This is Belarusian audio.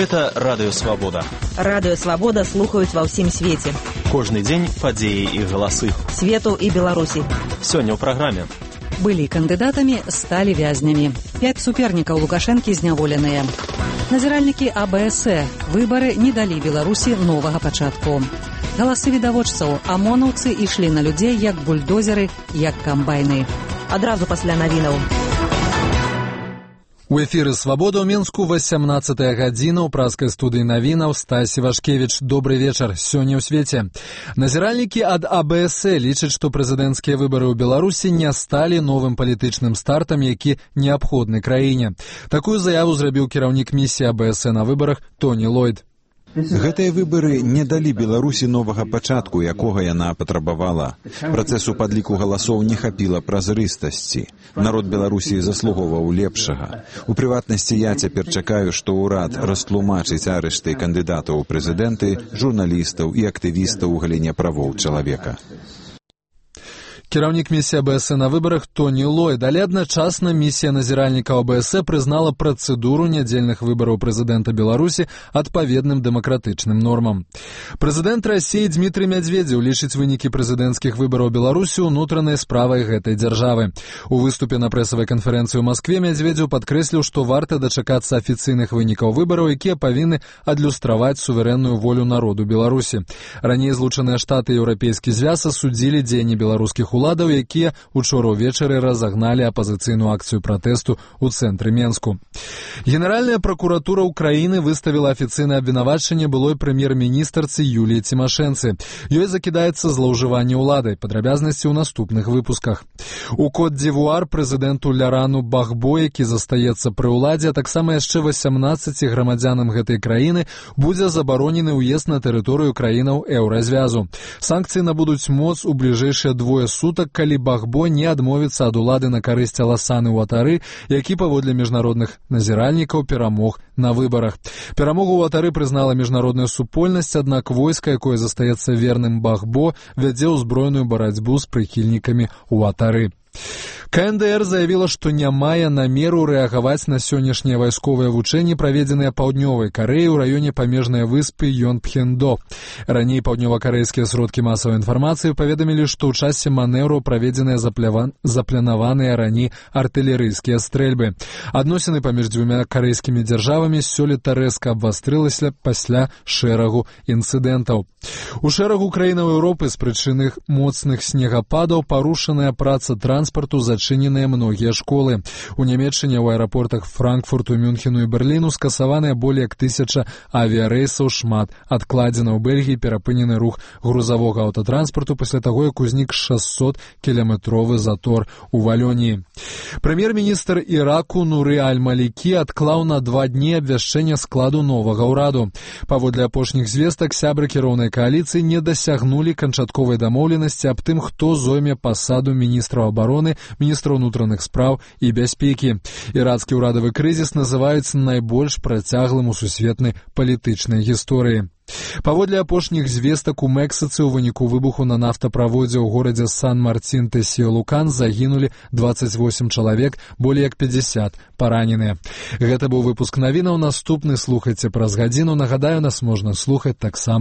Гэта Радыё Свабода. Радыё Свабода слухаюць ва ўсім свеце. Кожны дзень падзеі і галасы. Свету і Беларусі. Сёння ў праграме. Былі кандыдатамі, сталі вязнямі. 5 супернікаў Лукашэнкі зняволеныя. Назіральнікі АБС. Выбары не далі Беларусі новага пачатку. Галасы відавочцаў. Амонаўцы ішлі на людзей як бульдозеры, як камбайны. Адразу пасля навінаў. У эфіры «Свабода» ў Мінску 18-я гадзіна ў праскай студыі навінаў Стась Івашкевіч. Добры вечар. Сёння ў свеце. Назіральнікі ад АБС лічаць, што прэзідэнцкія выбары ў Беларусі не сталі новым палітычным стартам, які неабходны краіне. Такую заяву зрабіў кіраўнік місіі АБС на выбарах Тоні Лойд. Гэтыя выбары не далі Беларусі новага пачатку, якога яна патрабавала. Працэсу падліку галасоў не хапіла празрыстасці. Народ Беларусі заслугоўваў лепшага. У прыватнасці я цяпер чакаю, што ўрад растлумачыць арышты кандыдатаў у прэзідэнты, журналістаў і актывістаў у галіне правоў чалавека. Кіраўнік місіі АБС на выбарах Тоні Лойд, але адначасна місія назіральнікаў АБС прызнала працэдуру нядзельных выбараў прэзідэнта Беларусі адпаведным дэмакратычным нормам. Прэзідэнт Расіі Дмітрый Мядзведзеў лічыць вынікі прэзідэнцкіх выбараў Беларусі ўнутранай справай гэтай дзяржавы. У выступе на прэсавай канферэнцыі ў Маскве Мядзведзеў падкрэсліў, што варта дачакацца афіцыйных вынікаў выбараў, якія павінны адлюстраваць суверэнную волю народу Беларусі. Раней Злучаныя Штаты і Еўрапейскі звяз асудзілі дзеянні беларускіх уладаў, якія учора ўвечары разагналі апазіцыйную акцыю пратэсту ў цэнтры Менску. Генеральная пракуратура ўкраіны выставіла афіцыйнае абвінавачанне былой прэм'ер-міністарцы Юліі Цімашэнцы. Ёй закідаецца злоўжыванне ўладай. Падрабязнасці ў наступных выпусках. У Кот-д'Івуар прэзідэнту Лярану Багбо, які застаецца пры ўладзе, а таксама яшчэ 18 грамадзянам гэтай краіны будзе забаронены ўезд на тэрыторыю краінаў Еўразвязу. Санкцыі набудуць моц у бліжэйшыя 2 сутак, калі Багбо не адмовіцца ад улады на карысць Аласаны Уатары, які паводле міжнародных назіральнікаў перамог на выбарах. Перамогу Уатары прызнала міжнародная супольнасць, аднак войска, якое застаецца верным Багбо, вядзе ўзброеную барацьбу з прыхільнікамі Уатары. КНДР заявіла, што не мае намеру рэагаваць на сённяшнія вайсковыя вучэнні, праведзеныя Паўднёвай Карэі ў раёне памежнай выспы Йонпхендо. Раней паўднёвакарэйскія сродкі масавай інфармацыі паведамілі, што ў часе манеўру праведзеныя запланаваныя раней артылерыйскія стрэльбы. Адносіны паміж дзвюма карэйскімі дзяржавамі сёлета рэзка абвастрылася пасля шэрагу інцыдэнтаў. У шэрагу краінаў Еўропы з прычыны моцных снегападаў парушаная праца транспарту, зачыненыя многія школы. У Нямецчыне ў аэрапортах Франкфурту, Мюнхену і Берліну скасаваныя болей як 1000 авіярэйсаў, шмат адкладзена. У Бельгіі перапынены рух грузавога аўтатранспарту пасля таго, як узнік 600-кіламетровы затор у Валёніі. Прэм'ер-міністр Іраку Нуры Аль-Малікі адклаў на 2 дні абвяшчэння складу новага ўраду. Паводле апошніх звестак, сябры кіроўнай кааліцыі не дасягнулі канчатковай дамоўленасці аб тым, хто зойме пасаду міністра абароны, міністра ўнутраных спраў і бяспекі. Ірацкі ўрадавы крызіс называюць найбольш працяглым у сусветнай палітычнай гісторыі. Паводле апошніх звестак, у Мексіцы ў выніку выбуху на нафтаправодзе ў горадзе Сан-Марцін-Тесіо-Лукан загінулі 28 чалавек, болей як 50 параненыя. Гэта быў выпуск навінаў. Наступны слухайце праз гадзіну. Нагадаю, нас можна слухаць таксама